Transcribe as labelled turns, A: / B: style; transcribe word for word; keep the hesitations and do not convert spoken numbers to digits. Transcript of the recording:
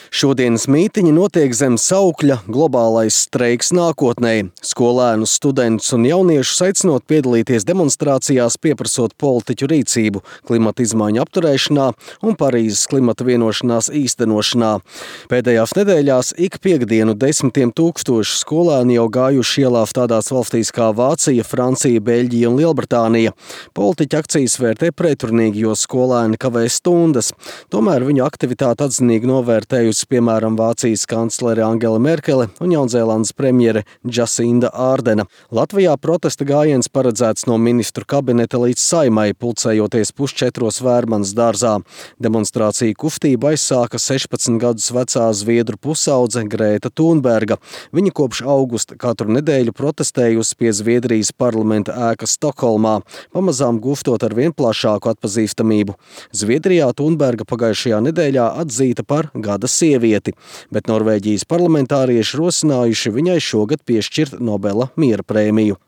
A: Šodienas mītiņi notiek zem saukļa "Globālais streiks nākotnei". Skolēnus, studentus un jauniešus aicinot piedalīties demonstrācijās, pieprasot politiķu rīcību klimata izmaiņu apturēšanā un Parīzes klimata vienošanās īstenošanā. Pēdējās nedēļās ik piekdienu desmitiem tūkstošu skolēni jau gājuši ielās tādās valstīs kā Vācija, Francija, Beļģija un Lielbritānija. Politiķi akcijas vērtē pretrunīgi, jo skolēni kavē stundas. Tomēr viņu aktivitāti atzinīgi novērtējusi piemēram Vācijas kanclere Angela Merkele un Jaunzēlandes premjere Džasinda Ārdena. Latvijā protesta gājiens paredzēts no ministru kabineta līdz Saeimai, pulcējoties pusčetros Vērmanas dārzā. Demonstrāciju kustību aizsāka sešpadsmit gadus vecā zviedru pusaudze Grēta Thunberga. Viņa kopš augusta katru nedēļu protestējusi pie Zviedrijas parlamenta ēkas Stokholmā, pamazām gūstot ar vien plašāku atpazīstamību. Zviedrijā Thunberga pagājušajā nedēļā atzīta par gada sievieti, bet Norvēģijas parlamentārieši rosinājuši viņai šogad piešķirt Nobela miera prēmiju.